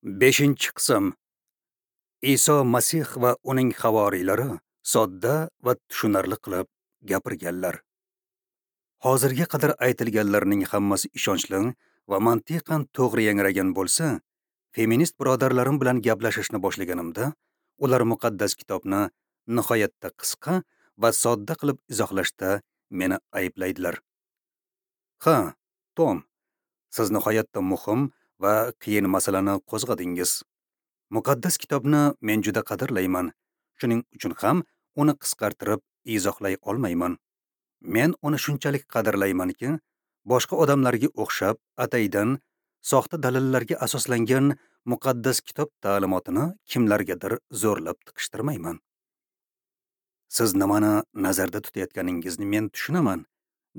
5-qism. Iso Masih va uning havoriylari sodda va tushunarli qilib gapirganlar. Hozirga qadar aytilganlarning hammasi ishonchli va mantiqan to'g'ri yangragan bo'lsa, feminist birodarlarim bilan gaplashishni boshlaganimda, ular muqaddas kitobni nihoyatda qisqa va sodda qilib izohlashda meni ayblaydilar. Ha, Tom, siz nihoyatda muhim va qiyin masalani qo'zg'adingiz. Muqaddas kitobni men juda qadrlayman. Shuning uchun ham uni qisqartirib izohlay olmayman. Men uni shunchalik qadrlaymanki, boshqa odamlarga o'xshab ataydan soxta dalillarga asoslangan muqaddas kitob ta'limotini kimlargadir zo'rlab tiqishtirmayman. Siz nimani nazarda tutayotganingizni men tushunaman,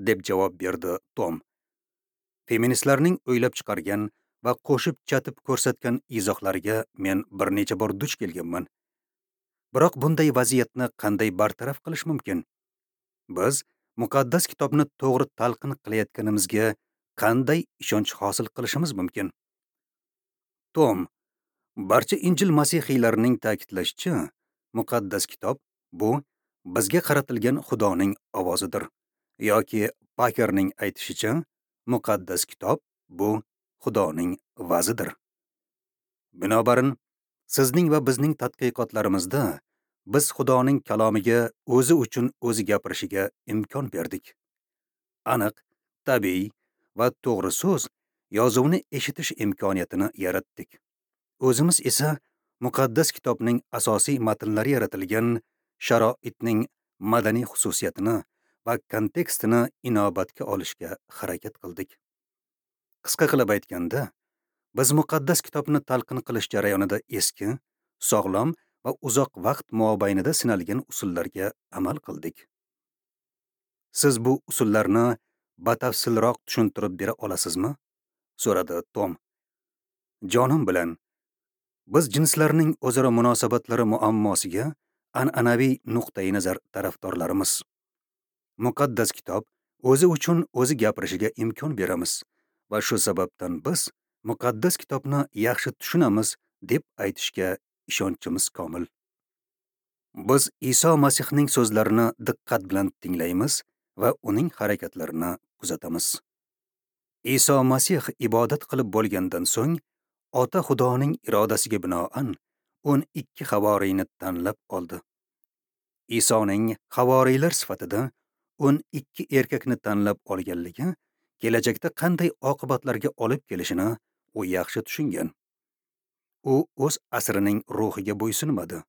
deb javob berdi Tom. Feministlarning o'ylab chiqargan va qo'shib chatib ko'rsatgan izohlariga men bir necha bor duch kelganman. Biroq bunday vaziyatni qanday bartaraf qilish mumkin? Biz muqaddas kitobni to'g'ri talqin qilayotganimizga qanday ishonch hosil qilishimiz mumkin? Tom, barcha Injil masihiylarining ta'kidlashicha, muqaddas kitob bu bizga qaratilgan Xudoning ovozidir, yoki Pakerning aytishicha, muqaddas kitob bu Xudoning va'zidir. Binobarin, sizning va bizning tadqiqotlarimizda biz Xudoning kalomiga o'zi uchun o'zi gapirishiga imkon berdik. Aniq, tabiiy va to'g'ri so'z yozuvni eshitish imkoniyatini yaratdik. O'zimiz esa muqaddas kitobning asosiy matnlari yaratilgan sharoitning madaniy xususiyatini va kontekstini inobatga olishga harakat qildik. Qisqa qilib aytganda, biz muqaddas kitobni talqin qilish jarayonida eski, sog'lom va uzoq vaqt mobaynida sinalgan usullarga amal qildik. Siz bu usullarni batafsilroq tushuntirib bera olasizmi? So'radi Tom. Jonim bilan, biz jinslarning o'zaro munosabatlari muammosiga an'anaviy nuqtai nazar tarafdorlarimiz. Muqaddas kitob o'zi uchun o'zi gapirishiga imkon beramiz va shu sababdan biz muqaddas kitobni yaxshi tushunamiz deb aytishga ishonchimiz komil. Biz Iso Masihning so'zlarini diqqat bilan tinglaymiz va uning harakatlarini kuzatamiz. Iso Masih ibodat qilib bo'lgandan so'ng, Ota Xudoning irodasiga binoan 12 havoriyni tanlab oldi. Isoning havoriylar sifatida 12 erkakni tanlab olganligi kelajakda qanday oqibatlarga olib kelishini u yaxshi tushungan. U o'z asrining ruhiga bo'ysunmadi.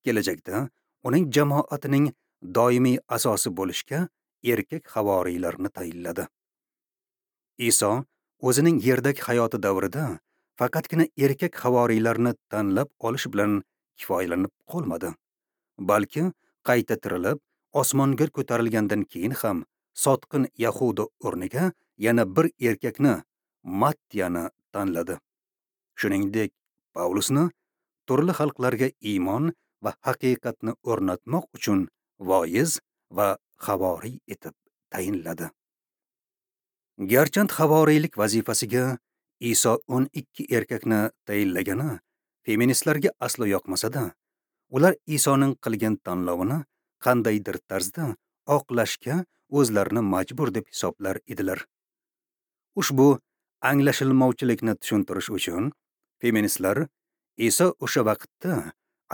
Kelajakda uning jamoatining doimiy asosi bo'lishga erkak havoriylarni tayinladi. Iso o'zining yerdagi hayoti davrida faqatgina erkak havoriylarni tanlab olish bilan kifoyalanib qolmadi, balki qayta tirilib osmonga ko'tarilgandan keyin ham sotqin Yahuda o'rniga yana bir erkakni, Mattiyani tanladi. Shuningdek, Pavlusni turli xalqlarga iymon va haqiqatni o'rnatmoq uchun voiz va havoriy etib tayinladi. Garchand havoriylik vazifasiga Iso 12 erkakni tayinlagani feministlarga aslo yoqmasa-da, ular Isoning qilgan tanlovini qandaydir tarzda oqlashga o'zlarini majbur deb hisoblar edilar. Ushbu anglashilmovchilikni tushuntirish uchun feministlar Iso o'sha vaqtda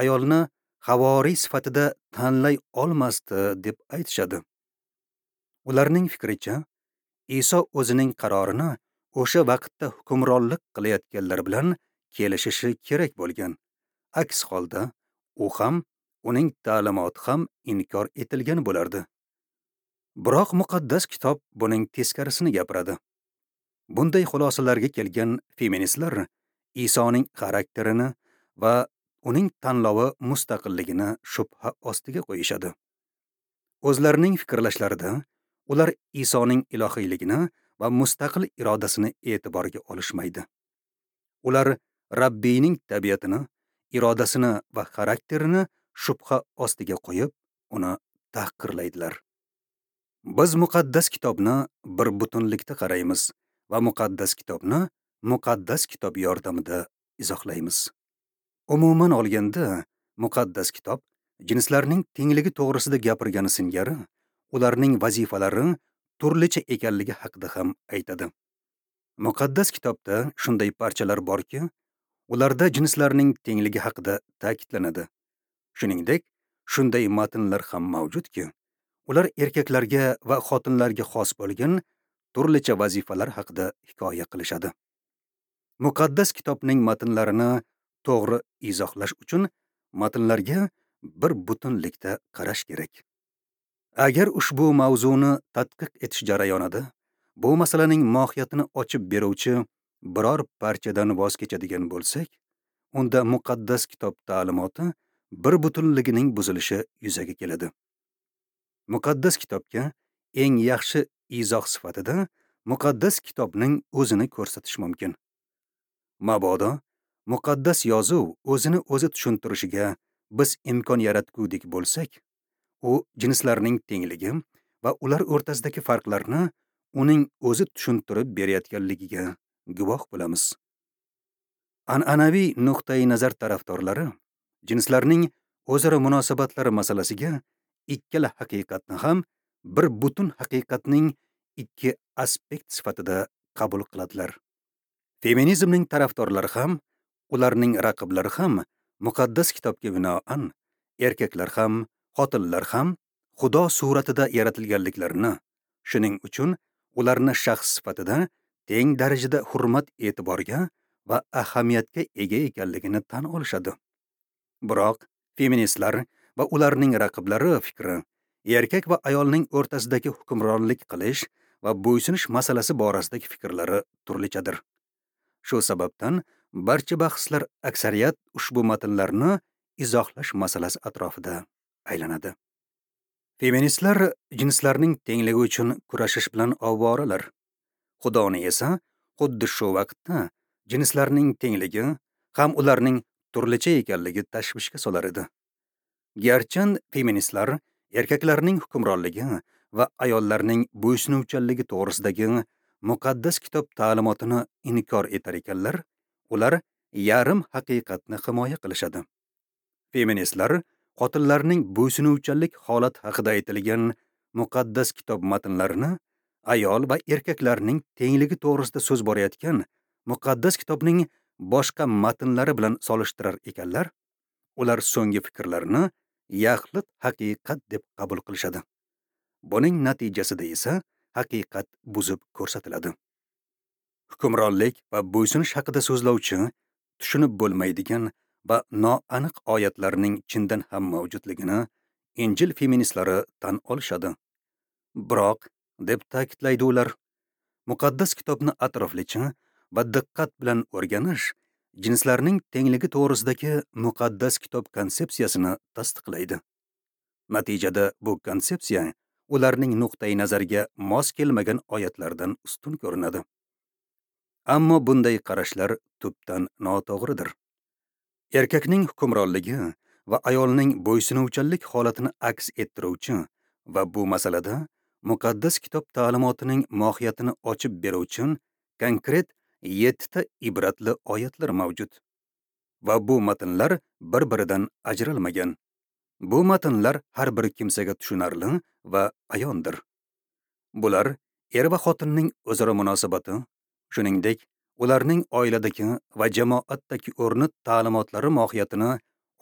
ayolni havoriy sifatida tanlay olmasdi deb aytishadi. Ularning fikricha, Iso o'zining qarorini o'sha vaqtda hukmronlik qilayotganlar bilan kelishishi kerak bo'lgan. Aks holda u ham, uning ta'limoti ham inkor etilgan bo'lardi. Biroq muqaddas kitob buning teskarisini gapiradi. Bunday xulosalarga kelgan feministlar Isoning xarakterini va uning tanlovi mustaqilligini shubha ostiga qo'yishadi. O'zlarining fikrlashlarida ular Isoning ilohiyligini va mustaqil irodasini e'tiborga olishmaydi. Ular Rabbiyning tabiatini, irodasini va xarakterini shubha ostiga qo'yib, uni tahqirlaydilar. Biz muqaddas kitobni bir butunlikda qaraymiz va muqaddas kitobni muqaddas kitob yordamida izohlaymiz. Umuman olganda, muqaddas kitob jinslarning tengligi to'g'risida gapirgani singari, ularning vazifalari turlicha ekanligi haqida ham aytadi. Muqaddas kitobda shunday parchalar borki, ularda jinslarning tengligi haqida ta'kidlanadi. Shuningdek, shunday matnlar ham mavjudki, ular erkaklarga va xotinlarga xos bo'lgan turlicha vazifalar haqida hikoya qilishadi. Muqaddas kitobning matnlarini to'g'ri izohlash uchun matnlarga bir butunlikda qarash kerak. Agar ushbu mavzuni tadqiq etish jarayonida bu masalaning mohiyatini ochib beruvchi biror parchadan voz kechadigan bo'lsak, unda muqaddas kitob ta'limoti bir butunligining buzilishi yuzaga keladi. Muqaddas kitobga eng yaxshi izoh sifatida muqaddas kitobning o'zini ko'rsatish mumkin. Mabodo muqaddas yozuv o'zini o'zi tushuntirishiga biz imkon yaratgudek bo'lsak, u jinslarning tengligi va ular o'rtasidagi farqlarni uning o'zi tushuntirib berayotganligiga guvoh bo'lamiz. An'anaviy nuqtai nazar tarafdorlari jinslarning o'zaro munosabatlari masalasiga ikkala haqiqatni ham bir butun haqiqatning ikki aspekt sifatida qabul qiladilar. Feminizmning tarafdorlari ham, ularning raqiblari ham muqaddas kitobga binoan erkaklar ham, xotinlar ham Xudo suratida yaratilganliklarini, shuning uchun ularni shaxs sifatida teng darajada hurmat e'tiborga va ahamiyatga ega ekanligini tan olishadi. Biroq feministlar va ularning raqiblari fikri erkak va ayolning o'rtasidagi hukmronlik qilish va bo'ysunish masalasi borasidagi fikrlari turlichadir. Shu sababdan barcha bahslar aksariyat ushbu matnlarni izohlash masalasi atrofida aylanadi. Feministlar jinslarning tengligi uchun kurashish bilan ovvoralar. Xudoni esa xuddi shu vaqtda jinslarning tengligi ham ularning turlicha ekanligi tashvishga solar edi. Garchi feministlar erkaklarning hukmronligi va ayollarning bo'ysunuvchanligi to'g'risidagi muqaddas kitob ta'limotini inkor etar ekanlar, ular yarim haqiqatni himoya qilishadi. Feministlar xotinlarning bo'ysunuvchanlik holati haqida aytilgan muqaddas kitob matnlarini ayol va erkaklarning tengligi to'g'risida so'z borayotgan muqaddas kitobning boshqa matnlari bilan solishtirar ekanlar, ular so'nggi fikrlarini yaxlit haqiqat deb qabul qilishadi. Buning natijasida esa haqiqat buzib ko'rsatiladi. Hukmronlik va bo'ysunish haqida so'zlovchi tushunib bo'lmaydigan va noaniq oyatlarning chindan ham mavjudligini Injil feministlari tan olishadi. Biroq, deb ta'kidlaydi ular, muqaddas kitobni atroflicha va diqqat bilan o'rganish jinslarning tengligi to'g'risidagi muqaddas kitob konsepsiyasini tasdiqlaydi. Natijada bu konsepsiya ularning nuqtai nazariga mos kelmagan oyatlardan ustun ko'rinadi. Ammo bunday qarashlar tubdan noto'g'ridir. Erkakning hukmronligi va ayolning bo'ysunuvchanlik holatini aks ettiruvchi va bu masalada muqaddas kitob ta'limotining mohiyatini ochib beruvchi konkret 7 ta ibratli oyatlar mavjud. Va bu matnlar bir-biridan ajralmagan. Bu matnlar har bir kimsaga tushunarli va ayondir. Bular er va xotinning o'zaro munosabati, shuningdek, ularning oiladagi va jamoatdagi o'rni ta'limotlari mohiyatini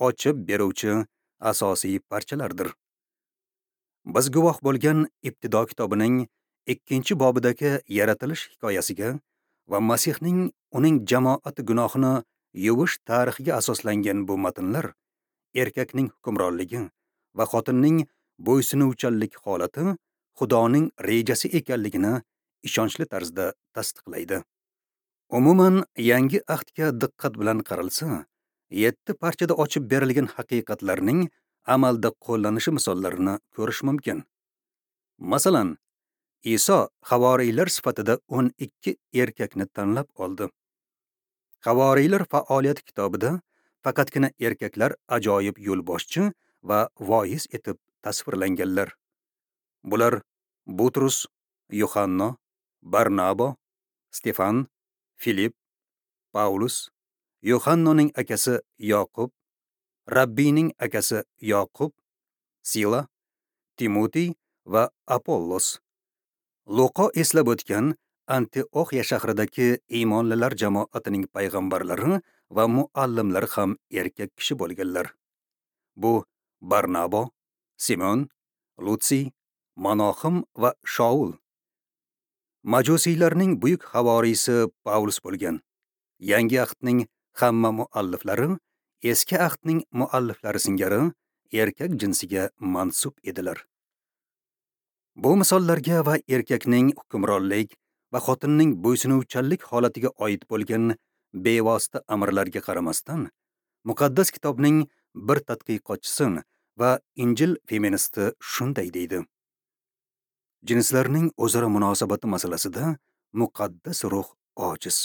ochib beruvchi asosiy parchalardir. Biz guvoh bo'lgan Ibtido kitobining 2-bobidagi yaratilish hikoyasiga va Masihning uning jamoati gunohini yuvish tarixiga asoslangan bu matnlar erkakning hukmronligi va xotinning bo'ysunuvchanlik holati Xudoning rejasi ekanligini ishonchli tarzda tasdiqlaydi. Umuman, yangi ahdga diqqat bilan qaralsa, 7 parchada ochib berilgan haqiqatlarning amalda qo'llanishi misollarini ko'rish mumkin. Masalan, Iso havoriylar sifatida 12 erkakni tanlab oldi. Havoriylar faoliyati kitobida faqatgina erkaklar ajoyib yo'lboshchi va voiz etib tasvirlanganlar. Bular Butrus, Yuhanno, Barnabo, Stefan, Filip, Paulus, Yohannoning akasi Yoqub, Rabbiyning akasi Yoqub, Sila, Timotey va Apollos. Luqo eslab o'tgan Antioxiya shahridagi iymonlilar jamoatining payg'ambarlari va muallimlari ham erkak kishi bo'lganlar. Bu Barnabo, Simon, Lutsiy, Manohim va Shaul. Majusiylarning buyuk havoriysi Paulus bo'lgan. Yangi ahdning hamma mualliflari eski ahdning mualliflari singari erkak jinsiga mansub edilar. Bu misollarga va erkakning hukmronlik va xotinning bo'ysunuvchanlik holatiga oid bo'lgan bevosita amrlarga qaramasdan, muqaddas kitobning bir tadqiqotchisi va Injil feministi shunday deydi: Jinslarning o'zaro munosabati masalasida muqaddas ruh ojiz.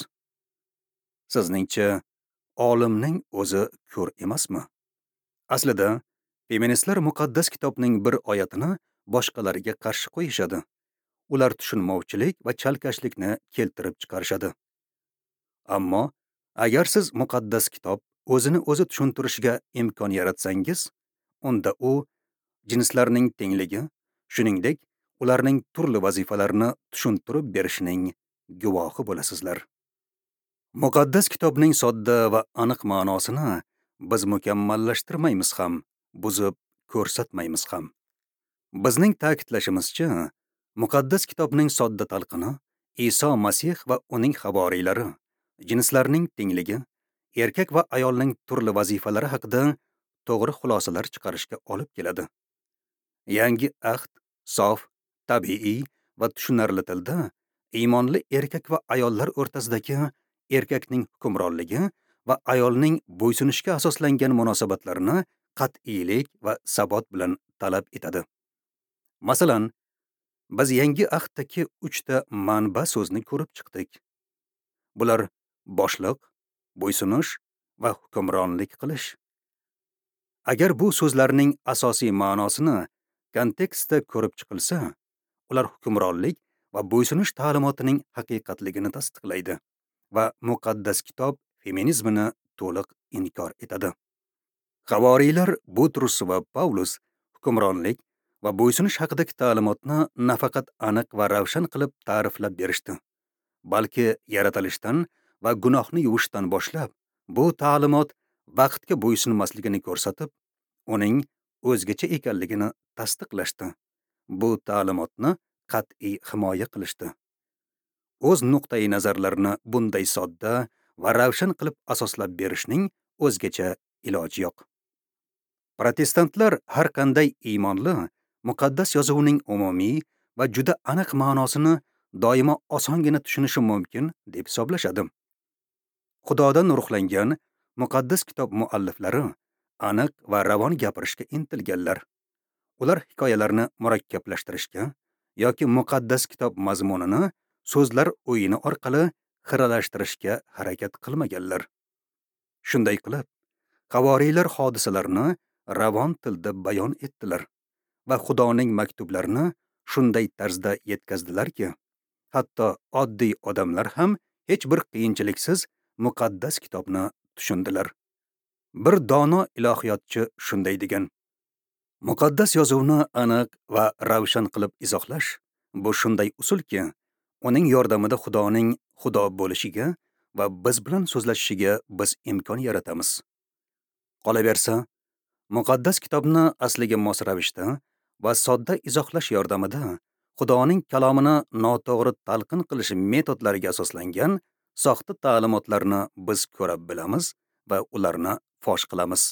Sizningcha, olimning o'zi ko'r emasmi? Aslida, feministlar muqaddas kitobning bir oyatini boshqalarga qarshi qo'yishadi. Ular tushunmovchilik va chalkashlikni keltirib chiqarishadi. Ammo agar siz muqaddas kitob o'zini o'zi tushuntirishiga imkon yaratsangiz, unda u jinslarning tengligi, shuningdek, ularning turli vazifalarini tushuntirib berishining guvohi bo'lasizlar. Muqaddas kitobning sodda va aniq ma'nosini biz mukammallashtirmaymiz ham, buzib ko'rsatmaymiz ham. Bizning ta'kidlashimizcha, muqaddas kitobning sodda talqini Iso Masih va uning havoriylari, jinslarning tengligi, erkak va ayolning turli vazifalari haqida to'g'ri xulosalar chiqarishga olib keladi. Yangi ahd sof, tabiiy va tushunarli tilda iymonli erkak va ayollar o'rtasidagi erkakning hukmronligi va ayolning bo'ysunishga asoslangan munosabatlarini qat'iylik va sabot bilan talab etadi. Masalan, biz yangi ahddagi 3 ta manba so'zni ko'rib chiqdik. Bular boshliq, bo'ysunish va hukmronlik qilish. Agar bu so'zlarning asosiy ma'nosini kontekstda ko'rib chiqilsa, ular hukmronlik va bo'ysunish ta'limotining haqiqatligini tasdiqlaydi va muqaddas kitob feminizmini to'liq inkor etadi. Havoriylar Butrus va Pavlus hukmronlik va bo'ysunish haqidagi ta'limotni nafaqat aniq va ravshan qilib ta'riflab berishdi, balki yaratilishdan va gunohni yuvishdan boshlab bu ta'limot vaqtga bo'ysunmasligini ko'rsatib, uning o'zgacha ekanligini tasdiqlashdi. Bu ta'limotni qat'iy himoya qilishdi. O'z nuqtai nazarlarini bunday sodda va ravshan qilib asoslab berishning o'zgacha iloji yo'q. Protestantlar har qanday iymonli muqaddas yozuvning umumiy va juda aniq ma'nosini doimo osongina tushunishi mumkin deb hisoblashadi. Xudodan ruhlangan muqaddas kitob mualliflari aniq va ravon gapirishga intilganlar. Ular hikoyalarni murakkablashtirishga yoki muqaddas kitob mazmunini so'zlar o'yini orqali xiralashtirishga harakat qilmaganlar. Shunday qilib, havoriylar hodisalarni ravon tilda bayon etdilar va Xudoning maktublarini shunday tarzda yetkazdilarki, hatto oddiy odamlar ham hech bir qiyinchiliksiz muqaddas kitobni tushundilar. Bir dono ilohiyotchi shunday degan: Muqaddas yozuvni aniq va ravshan qilib izohlash bu shunday usulki, uning yordamida Xudoning Xudo bo'lishiga va biz bilan so'zlashishiga biz imkon yaratamiz. Qolaversa, muqaddas kitobni asliga mos ravishda va sodda izohlash yordamida Xudoning kalomini noto'g'ri talqin qilish metodlariga asoslangan soxta ta'limotlarni biz ko'ra bilamiz va ularni fosh qilamiz.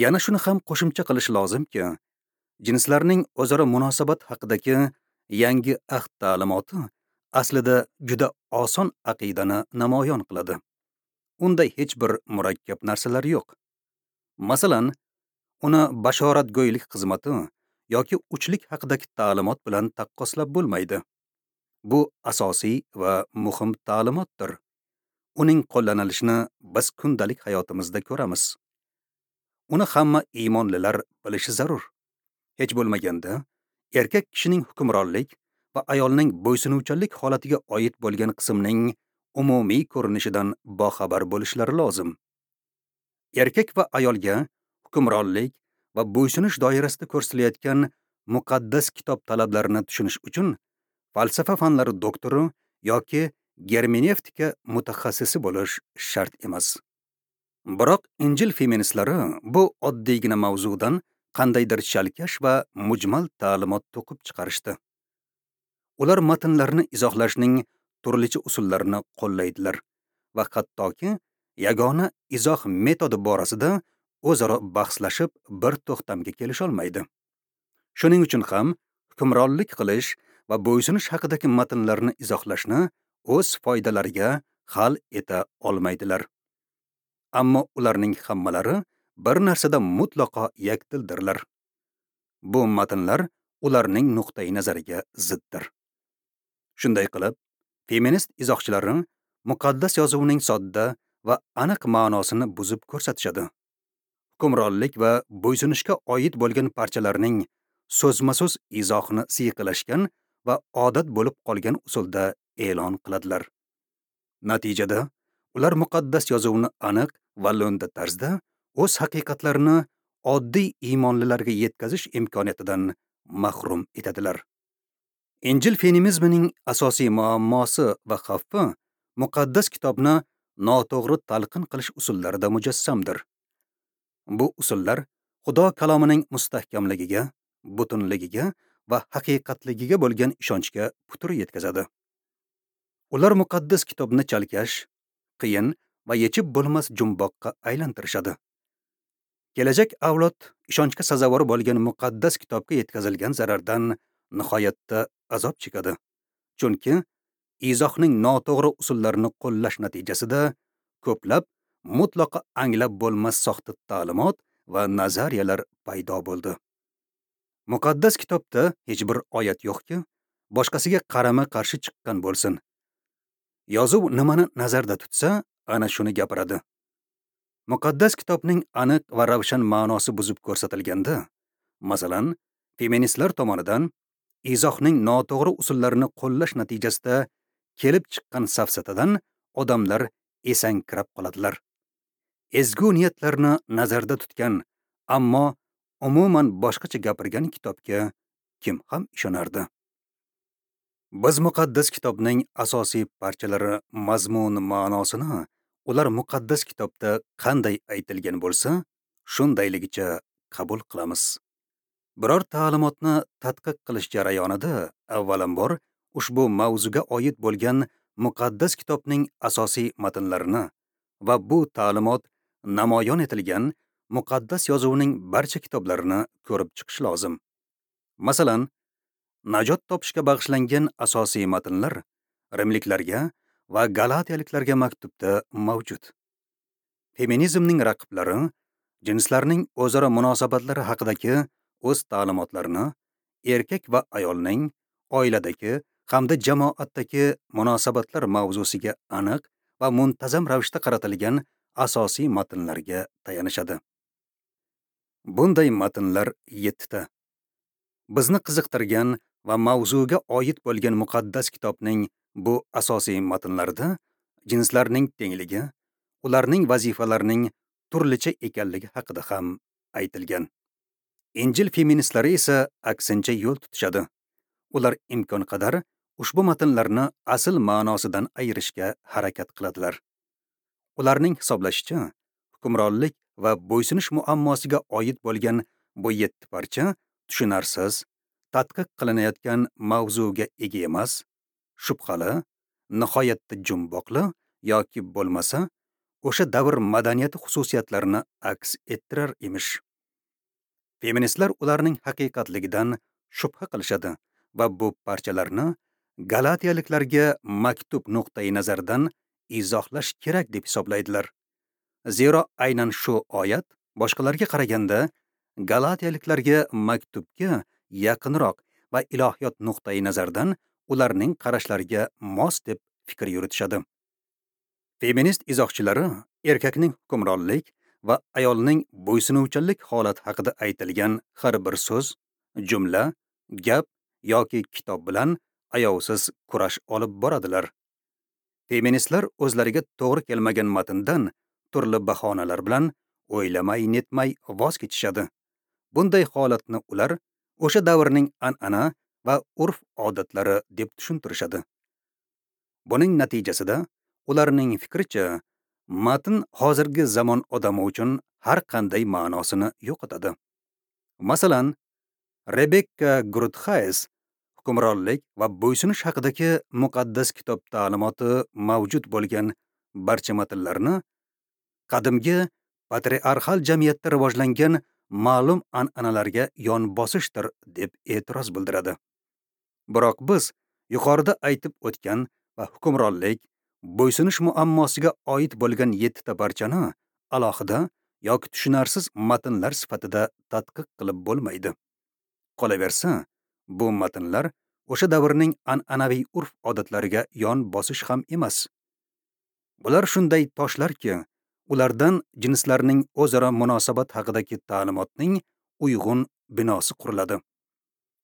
Yana shuni ham qo'shimcha qilish lozimki, jinslarning o'zaro munosabat haqidagi yangi ahd ta'limoti aslida juda oson aqidani namoyon qiladi. Unda hech bir murakkab narsalar yo'q. Masalan, uni bashoratgo'ylik xizmati yoki uchlik haqidagi ta'limot bilan taqqoslab bo'lmaydi. Bu asosiy va muhim ta'limotdir. Uning qo'llanilishini biz kundalik hayotimizda ko'ramiz. Uni hamma iymonlilar bilishi zarur. Hech bo'lmaganda, erkak kishining hukmronlik va ayolning bo'ysunuvchanlik holatiga oid bo'lgan qismning umumiy ko'rinishidan boxabar bo'lishlari lozim. Erkak va ayolga hukmronlik va bo'ysunish doirasida ko'rsatilayotgan muqaddas kitob talablarini tushunish uchun falsafa fanlari doktori yoki germenevtika mutaxassisi bo'lish shart emas. Biroq Injil feministlari bu oddiygina mavzudan qandaydir chalkash va mujmal ta'limot to'qib chiqarishdi. Ular matnlarni izohlashning turlicha usullarini qo'llaydilar va hattoki yagona izoh metodi borasida o'zaro bahslashib bir to'xtamga kelisholmaydi. Shuning uchun ham hukmronlik qilish va bo'ysunish haqidagi matnlarni izohlashni o'z foydalariga hal eta olmaydilar. Ammo ularning hammalari bir narsada mutlaqo yakdildirlar. Bu matnlar ularning nuqtai nazariga ziddir. Shunday qilib, feminist izohchilari muqaddas yozuvning sodda va aniq ma'nosini buzib ko'rsatishadi. Hukmronlik va bo'ysunishga oid bo'lgan parchalarning so'zma-so'z izohini siyqilashgan va odat bo'lib qolgan usulda e'lon qiladilar. Natijada ular muqaddas yozuvni aniq va lo'nda tarzda o'z haqiqatlarini oddiy iymonlilarga yetkazish imkoniyatidan mahrum etadilar. Injil feminizmining asosiy muammosi va xavfi muqaddas kitobni noto'g'ri talqin qilish usullarida mujassamdir. Bu usullar Xudo kalomining mustahkamligiga, butunligiga va haqiqatligiga bo'lgan ishonchga putur yetkazadi. Ular muqaddas kitobni chalkash, qiyin va yechib bo'lmas jumboqqa aylantirishadi. Kelajak avlod ishonchga sazovor bo'lgan muqaddas kitobga yetkazilgan zarardan nihoyatda azob chekadi. Chunki izohning noto'g'ri usullarini qo'llash natijasida ko'plab mutlaqo anglab bo'lmas soxta ta'limot va nazariyalar paydo bo'ldi. Muqaddas kitobda hech bir oyat yo'qki, boshqasiga qarama-qarshi chiqqan bo'lsin. Yozuv nimani nazarda tutsa, ana shuni gapiradi. Muqaddas kitobning aniq va ravshan ma'nosi buzib ko'rsatilganda, masalan, feministlar tomonidan izohning noto'g'ri usullarini qo'llash natijasida kelib chiqqan safsatadan odamlar esankirab qoladilar. Ezgu niyatlarni nazarda tutgan, ammo umuman boshqacha gapirgan kitobga kim ham ishonardi? Biz muqaddas kitobning asosiy parchalari mazmun ma'nosini ular muqaddas kitobda qanday aytilgan bo'lsa, shundayligicha qabul qilamiz. Biror ta'limotni tadqiq qilish jarayonida avvalambor ushbu mavzuga oid bo'lgan muqaddas kitobning asosiy matnlarini va bu ta'limot namoyon etilgan muqaddas yozuvning barcha kitoblarini ko'rib chiqish lozim. Masalan, najot topishga bag'ishlangan asosiy matnlar rimliklarga va galatiyaliklarga maktubda mavjud. Feminizmning raqiblari jinslarning o'zaro munosabatlari haqidagi o'z ta'limotlarini erkak va ayolning oiladagi hamda jamoatdagi munosabatlar mavzusiga aniq va muntazam ravishda qaratilgan asosiy matnlarga tayanishadi. Bunday matnlar 7 ta. Bizni qiziqtirgan va mavzuga oid bo'lgan muqaddas kitobning bu asosiy matnlarida jinslarning tengligi, ularning vazifalarining turlicha ekanligi haqida ham aytilgan. Injil feministlari esa aksincha yo'l tutishadi. Ular imkon qadar ushbu matnlarni asl ma'nosidan ayirishga harakat qiladilar. Ularning hisoblashicha, hukmronlik va bo'ysunish muammosiga oid bo'lgan bu 7 parcha tushunarsiz, tadqiq qilinayotgan mavzuga ega emas, shubhali, nihoyatda jumboqli yoki bo'lmasa, o'sha davr madaniyati xususiyatlarini aks ettirar emish. Feministlar ularning haqiqatligidan shubha qilishadi va bu parchalarni galatiyaliklarga maktub nuqtai nazaridan izohlash kerak deb hisoblaydilar. Zero aynan shu oyat boshqalarga qaraganda galatiyaliklarga maktubga yaqinroq va ilohiyot nuqtai nazaridan ularning qarashlariga mos deb fikr yuritishadi. Feminist izohchilari erkakning hukmronlik va ayolning bo'ysunuvchanlik holati haqida aytilgan har bir so'z, jumla, gap yoki kitob bilan ayovsiz kurash olib boradilar. Feministlar o'zlariga to'g'ri kelmagan matndan turli bahonalar bilan o'ylamay netmay voz kechishadi. Bunday holatni ular o'sha davrning an'ana va urf-odatlari deb tushuntirishadi. Buning natijasida ularning fikricha matn hozirgi zamon odami uchun har qanday ma'nosini yo'qotadi. Masalan, Rebekka Grutxays hukmronlik va bo'ysunish haqidagi muqaddas kitob ta'limoti mavjud bo'lgan barcha matnlarni qadimgi patriarxal jamiyatda rivojlangan ma'lum an'analarga yon bosishdir deb e'tiroz bildiradi. Biroq biz yuqorida aytib o'tgan va hukmronlik, bo'ysunish muammosiga oid bo'lgan 7 ta parchani alohida yoki tushunarsiz matnlar sifatida tadqiq qilib bo'lmaydi. Qolaversa, bu matnlar o'sha davrning an'anaviy urf-odatlariga yon bosish ham emas. Bular shunday toshlarki, ulardan jinslarning o'zaro munosabat haqidagi ta'limotning uyg'un binosi quriladi.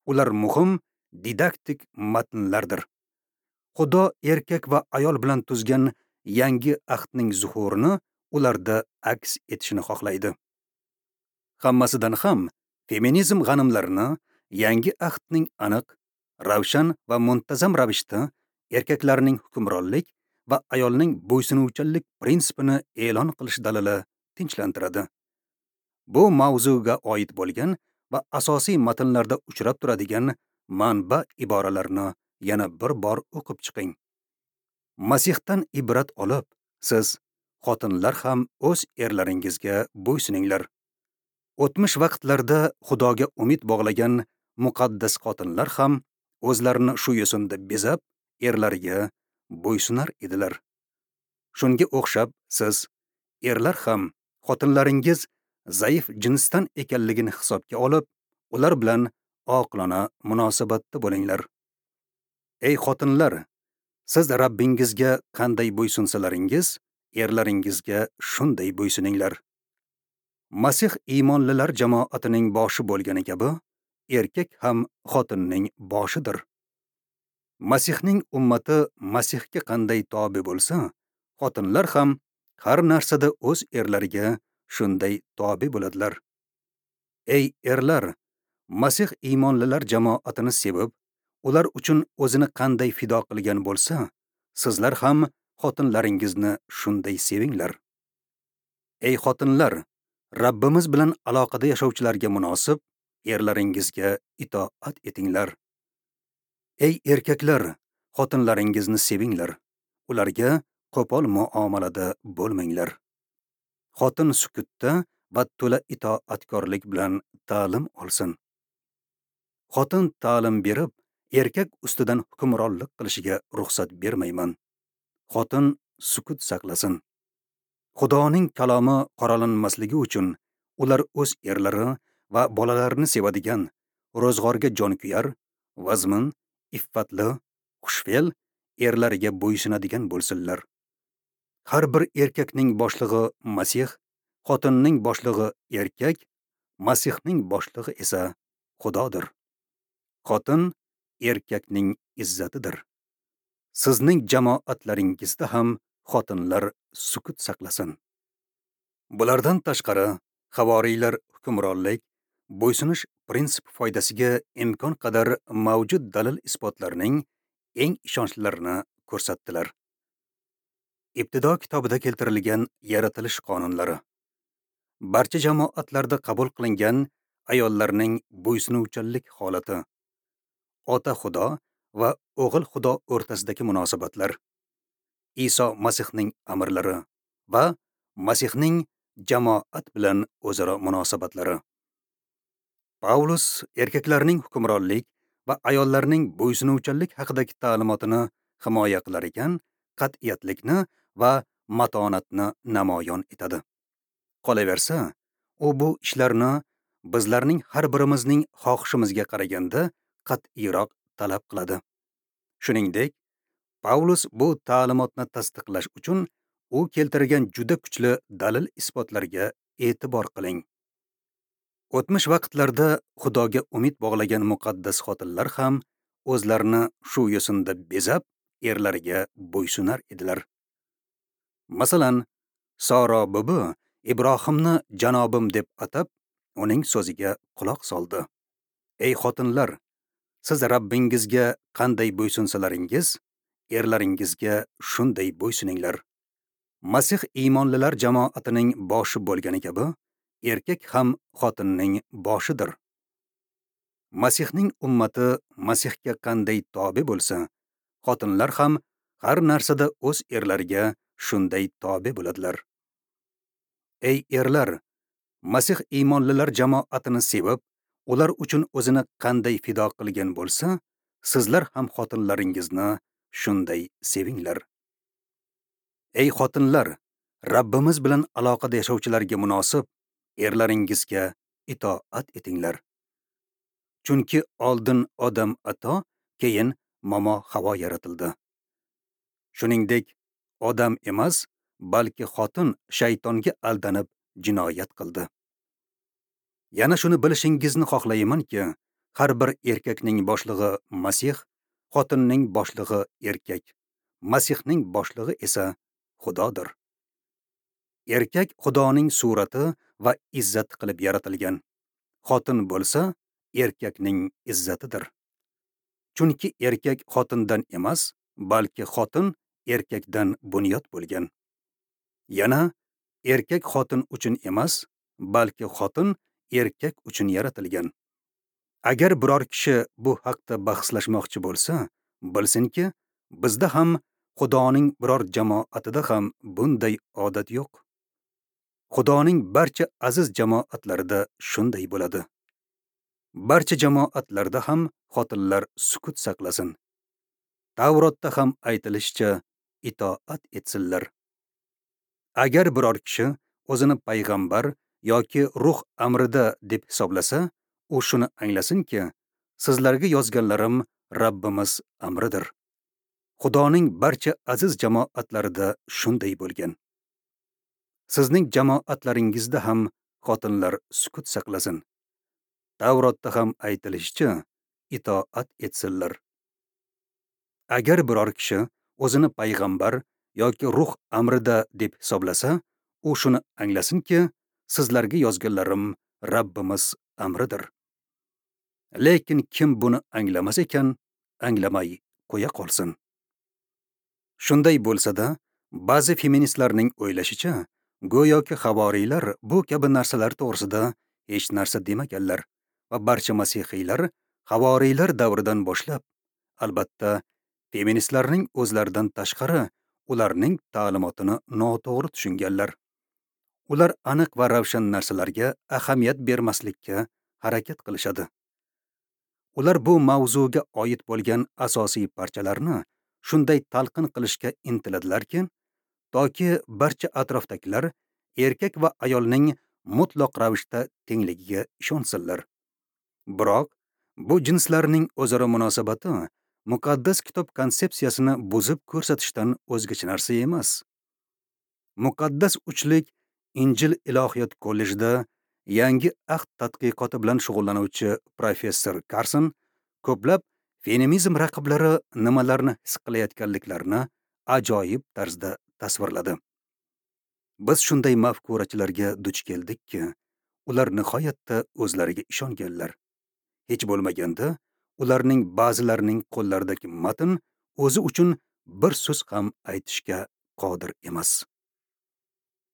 Ular muhim didaktik matnlardir. Xudo erkak va ayol bilan tuzgan yangi ahdning zuhurini ularda aks etishini xohlaydi. Hammasidan ham feminizm g'animlarini yangi ahdning aniq, ravshan va muntazam ravishda erkaklarning hukmronlik va ayolning bo'ysunuvchanlik prinsipini e'lon qilish dalili tinchlantiradi. Bu mavzuga oid bo'lgan va asosiy matnlarda uchrab turadigan manba iboralarni yana bir bor o'qib chiqing. Masihdan ibrat olib, siz xotinlar ham o'z erlaringizga bo'ysuninglar. O'tmish vaqtlarda Xudoga umid bog'lagan muqaddas xotinlar ham o'zlarini shu yo'sinda bezab, erlariga bo'ysunar edilar. Shunga o'xshab siz erlar ham xotinlaringiz zaif jinsdan ekanligini hisobga olib, ular bilan oqilona munosabatda bo'linglar. Ey xotinlar, siz Rabbingizga qanday bo'ysunsalaringiz, erlaringizga shunday bo'ysuninglar. Masih iymonlilar jamoatining boshi bo'lgani kabi, erkak ham xotinning boshidir. Masihning ummati Masihga qanday tobe bo'lsa, xotinlar ham har narsada o'z erlariga shunday tobe bo'ladilar. Ey erlar, Masih iymonlilar jamoatini sevib, ular uchun o'zini qanday fido qilgan bo'lsa, sizlar ham xotinlaringizni shunday sevinglar. Ey xotinlar, Rabbimiz bilan aloqada yashovchilarga munosib erlaringizga itoat etinglar. Ey erkaklar, xotinlaringizni sevinglar, ularga qo'pol muomalada bo'lmanglar. Xotin sukutda va to'la itoatkorlik bilan ta'lim olsin. Xotin ta'lim berib, erkak ustidan hukmronlik qilishiga ruxsat bermayman. Xotin sukut saqlasin. Xudoning kalomi qoralanmasligi uchun ular o'z erlari va bolalarini sevadigan, ro'zg'orga jonkuyar, vazmin, iffatli, xushfe'l erlariga bo'ysunadigan bo'lsinlar. Har bir erkakning boshlig'i Masih, xotinning boshlig'i erkak, Masihning boshlig'i esa Xudodir. Xotin erkakning izzatidir. Sizning jamoatlaringizda ham xotinlar sukut saqlasin. Bulardan tashqari, havoriylar hukmronlik, bo'ysunish prinsipi foydasiga imkon qadar mavjud dalil isbotlarning eng ishonchlilarini ko'rsatdilar. Ibtido kitobida keltirilgan yaratilish qonunlari, barcha jamoatlarda qabul qilingan ayollarning bo'ysunuvchanlik holati, ota Xudo va o'g'il Xudo o'rtasidagi munosabatlar, Iso Masihning amrlari va Masihning jamoat bilan o'zaro munosabatlari. Paulus erkaklarning hukmronlik va ayollarning bo'ysunuvchanlik haqidagi ta'limotini himoya qilar ekan, qat'iyatlikni va matonatni namoyon etadi. Qolaversa, u bu ishlarni bizlarning har birimizning xohishimizga qaraganda qat'iyroq talab qiladi. Shuningdek, Paulus bu ta'limotni tasdiqlash uchun u keltirgan juda kuchli dalil isbotlarga e'tibor qiling. O'tmish vaqtlarda Xudoga umid bog'lagan muqaddas xotinlar ham o'zlarini shu yo'sinda bezab, erlariga bo'ysunar edilar. Masalan, Soro bubi Ibrohimni janobim deb atab, uning so'ziga quloq soldi. Ey xotinlar, siz Rabbingizga qanday bo'ysunsalaringiz, erlaringizga shunday bo'ysuninglar. Masih iymonlilar jamoatining boshi bo'lgani kabi, erkak ham xotinning boshidir. Masihning ummati Masihga qanday tobe bo'lsa, xotinlar ham har narsada o'z erlariga shunday tobe bo'ladilar. Ey erlar, Masih iymonlilar jamoatini sevib, ular uchun o'zini qanday fido qilgan bo'lsa, sizlar ham xotinlaringizni shunday sevinglar. Ey xotinlar, Rabbimiz bilan aloqada yashovchilarga munosib erlaringizga itoat etinglar. Chunki oldin Odam ato, keyin momo Havo yaratildi. Shuningdek, odam emas, balki xotin shaytonga aldanib jinoyat qildi. Yana shuni bilishingizni xohlaymanki, har bir erkakning boshlig'i Masih, xotinning boshlig'i erkak, Masihning boshlig'i esa Xudodir. Erkak Xudoning surati va izzati qilib yaratilgan. Xotin bo'lsa, erkakning izzatidir. Chunki erkak xotindan emas, balki xotin erkakdan bunyod bo'lgan. Yana erkak xotin uchun emas, balki xotin erkak uchun yaratilgan. Agar biror kishi bu haqda bahslashmoqchi bo'lsa, bilsinki, bizda ham Xudoning biror jamoatida ham bunday odat yo'q. Xudoning barcha aziz jamoatlarida shunday bo'ladi. Barcha jamoatlarda ham xotinlar sukut saqlasin. Tavrotda ham aytilishicha, itoat etsinlar. Agar biror kishi o'zini payg'ambar yoki ruh amrida deb hisoblasa, u shuni anglasinki, sizlarga yozganlarim Rabbimiz amridir. Xudoning barcha aziz jamoatlarida shunday bo'lgan. Sizning jamoatlaringizda ham xotinlar sukut saqlasin. Tavrotda ham aytilishicha, itoat etsinlar. Agar biror kishi o'zini payg'ambar yoki ruh amrida deb hisoblasa, u shuni anglasinki, sizlarga yozganlarim Rabbimiz amridir. Lekin kim buni anglamas ekan, anglamay qo'ya qolsin. Shunday bo'lsa-da, ba'zi feministlarning o'ylashicha, go'yoki havoriylar bu kabi narsalar to'g'risida hech narsa demaganlar va barcha masihiylar havoriylar davridan boshlab, albatta, feministlarning o'zlaridan tashqari ularning ta'limotini noto'g'ri tushunganlar. Ular aniq va ravshan narsalarga ahamiyat bermaslikka harakat qilishadi. Ular bu mavzuga oid bo'lgan asosiy parchalarni shunday talqin qilishga intiladilarki, toki barcha atrofdagilar erkak va ayolning mutlaq ravishda tengligiga ishonsinlar. Biroq bu jinslarning o'zaro munosabati muqaddas kitob konsepsiyasini buzib ko'rsatishdan o'zgacha narsa emas. Muqaddas uchlik Injil ilohiyot kollejida yangi ahd tadqiqoti bilan shug'ullanuvchi professor Karson ko'plab feminizm raqiblari nimalarni his qilayotganliklarini ajoyib tarzda tasvirladi. Biz shunday mafkurachilarga duch keldikki, ular nihoyatda o'zlariga ishonganlar. Hech bo'lmaganda, ularning ba'zilarining qo'llaridagi matn o'zi uchun bir so'z ham aytishga qodir emas.